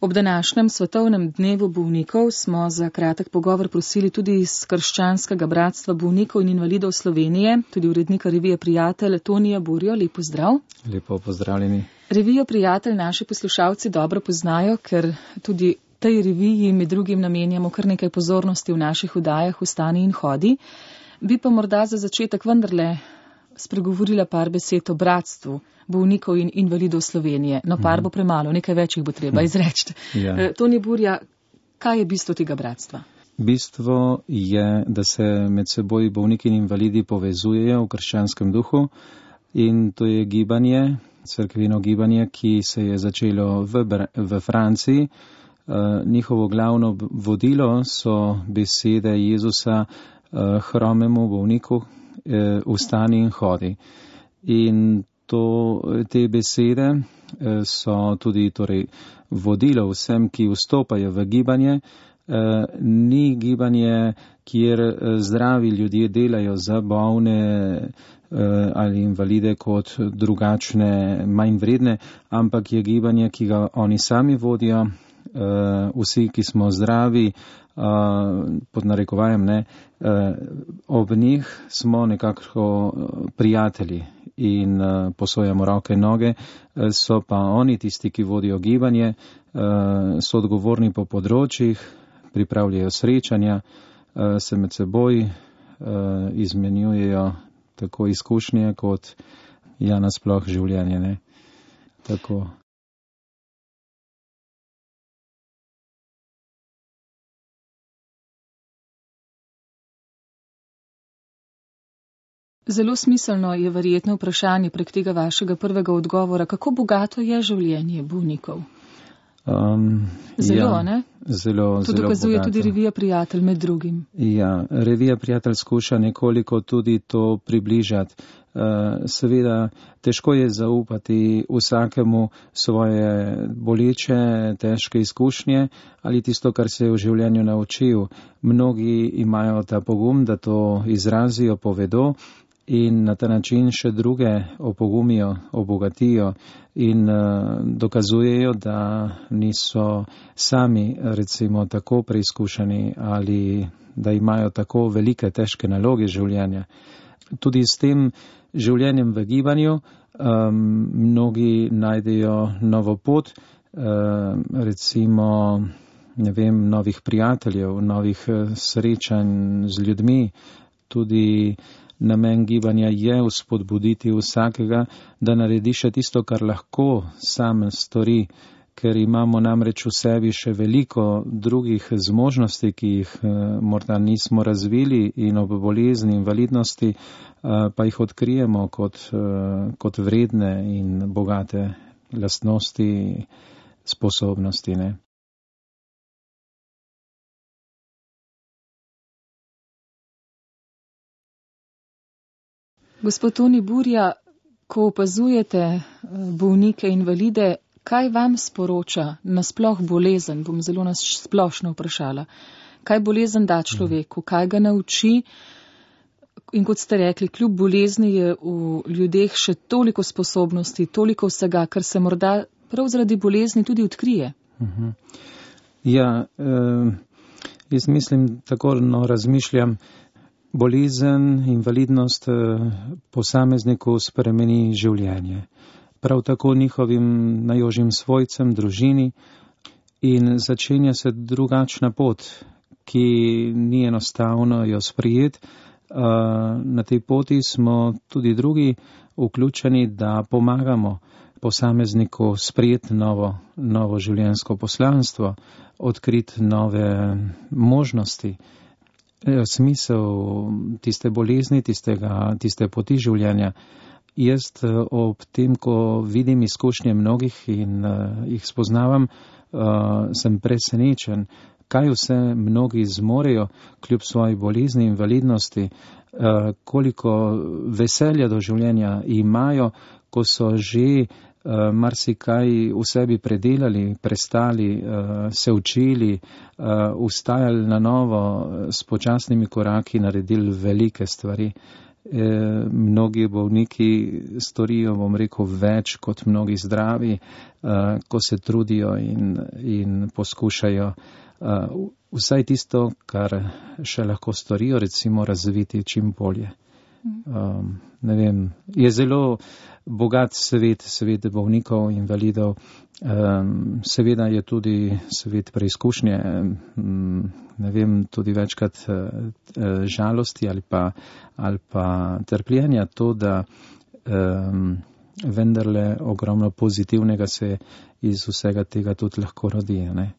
Ob današnjem svetovnem dnevu bolnikov smo za kratek pogovor prosili tudi iz Krščanskega bratstva bolnikov in invalidov Slovenije, tudi urednika revije Prijatelj Tonija Burjo. Lep pozdrav. Lepo pozdravljeni. Revijo Prijatelj naši poslušalci dobro poznajo, ker tudi tej reviji med drugim namenjamo kar nekaj pozornosti v naših oddajah Vstani in hodi. Bi pa morda za začetek vendarle spregovorila par besed o bratstvu bolnikov in invalidov Slovenije. No, par bo premalo, nekaj več jih bo treba izreči. Ja. Tonij Burja, kaj je bistvo tega bratstva? Bistvo je, da se med seboj bolniki in invalidi povezujejo v krščanskem duhu, in to je gibanje, cerkveno gibanje, ki se je začelo v Franciji. Njihovo glavno vodilo so besede Jezusa hromemu bolniku: vstani in hodi. In te besede so tudi vodilo vsem, ki vstopajo v gibanje. Ni gibanje, kjer zdravi ljudje delajo za bolne ali invalide kot drugačne, manj vredne, ampak je gibanje, ki ga oni sami vodijo. Vsi, ki smo zdravi, pod narekovajem, ob njih smo nekako prijatelji in posojamo roke in noge, so pa oni tisti, ki vodijo gibanje, so odgovorni po področjih, pripravljajo srečanja, se med seboj izmenjujejo tako izkušnje kot nasploh življenje. Tako. Zelo smiselno je verjetno vprašanje prek tega vašega prvega odgovora, kako bogato je življenje bolnikov? Zelo, ne? Zelo dokazuje bogato. Tudi revija Prijatelj med drugim. Ja, revija Prijatelj skuša nekoliko tudi to približati. Seveda, težko je zaupati vsakemu svoje boleče, težke izkušnje ali tisto, kar se je v življenju naučil. Mnogi imajo ta pogum, da to izrazijo, povedo in na ta način še druge opogumijo, obogatijo in dokazujejo, da niso sami recimo tako preizkušeni ali da imajo tako velike, težke naloge življenja. Tudi s tem življenjem v gibanju mnogi najdejo novo pot, recimo, novih prijateljev, novih srečanj z ljudmi. Tudi namen gibanja je vzpodbuditi vsakega, da naredi še tisto, kar lahko sam stori, ker imamo namreč v sebi še veliko drugih zmožnosti, ki jih morda nismo razvili, in ob bolezni, invalidnosti pa jih odkrijemo kot vredne in bogate lastnosti, sposobnosti. Gospod Tonij Burja, ko opazujete bolnike, invalide, kaj vam sporoča nasploh bolezen? Bom zelo splošno vprašala. Kaj bolezen da človeku? Kaj ga nauči? In kot ste rekli, kljub bolezni je v ljudeh še toliko sposobnosti, toliko vsega, kar se morda prav zaradi bolezni tudi odkrije. Ja, jaz mislim, tako razmišljam, bolezen, invalidnost posamezniku spremeni življenje. Prav tako njihovim najožjim svojcem, družini, in začenja se drugačna pot, ki ni enostavno jo sprejeti. Na tej poti smo tudi drugi vključeni, da pomagamo posamezniku sprejeti novo življenjsko poslanstvo, odkriti nove možnosti, smisel tiste bolezni, tiste poti življenja. Jaz ob tem, ko vidim izkušnje mnogih in jih spoznavam, sem presenečen, kaj vse mnogi zmorejo kljub svoji bolezni in invalidnosti, koliko veselja do življenja imajo, ko so že marsikaj v sebi predelali, prestali, se učili, vstajali na novo, s počasnimi koraki naredili velike stvari. mnogi bolniki storijo, bom rekel, več kot mnogi zdravi, ko se trudijo in poskušajo vsaj tisto, kar še lahko storijo, recimo razviti čim bolje. Ne vem, je zelo bogat svet bolnikov, invalidov, seveda je tudi svet preizkušnje, ne vem, tudi večkrat žalosti ali pa trpljenja, to, da vendarle ogromno pozitivnega se iz vsega tega tudi lahko rodi, ne.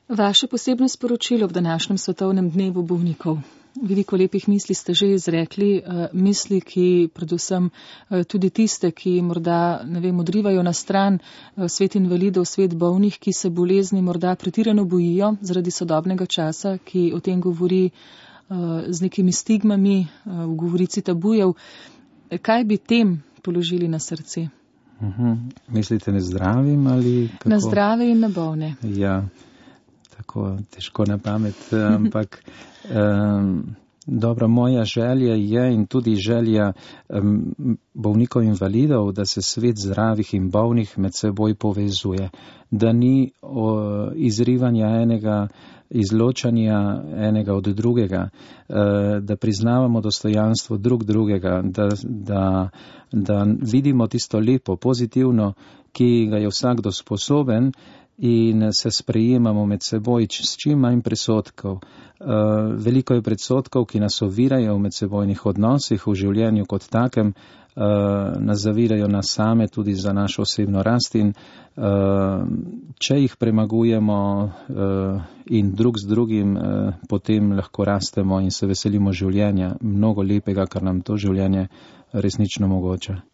Vaše posebno sporočilo ob današnjem svetovnem dnevu bolnikov. Veliko lepih misli ste že izrekli, misli, ki predvsem tudi tiste, ki morda, ne vem, odrivajo na stran svet invalidov, svet bolnih, ki se bolezni morda pretirano bojijo zaradi sodobnega časa, ki o tem govori z nekimi stigmami, v govorici tabujev. Kaj bi tem položili na srce? Mislite na zdravim ali kako? Na zdrave in na bolne. Ja. Tako težko na pamet, ampak dobro, moja želja je in tudi želja bolnikov invalidov, da se svet zdravih in bolnih med seboj povezuje, da ni izrivanja enega, izločanja enega od drugega, da priznavamo dostojanstvo drugega, da vidimo tisto lepo, pozitivno, ki ga je vsakdo sposoben, in se sprejemamo med seboj s čim manj predsodkov. Veliko je predsodkov, ki nas ovirajo v medsebojnih odnosih, v življenju kot takem, nas zavirajo nas same tudi za našo osebno rast in če jih premagujemo in drug z drugim, potem lahko rastemo in se veselimo življenja, mnogo lepega, kar nam to življenje resnično omogoča.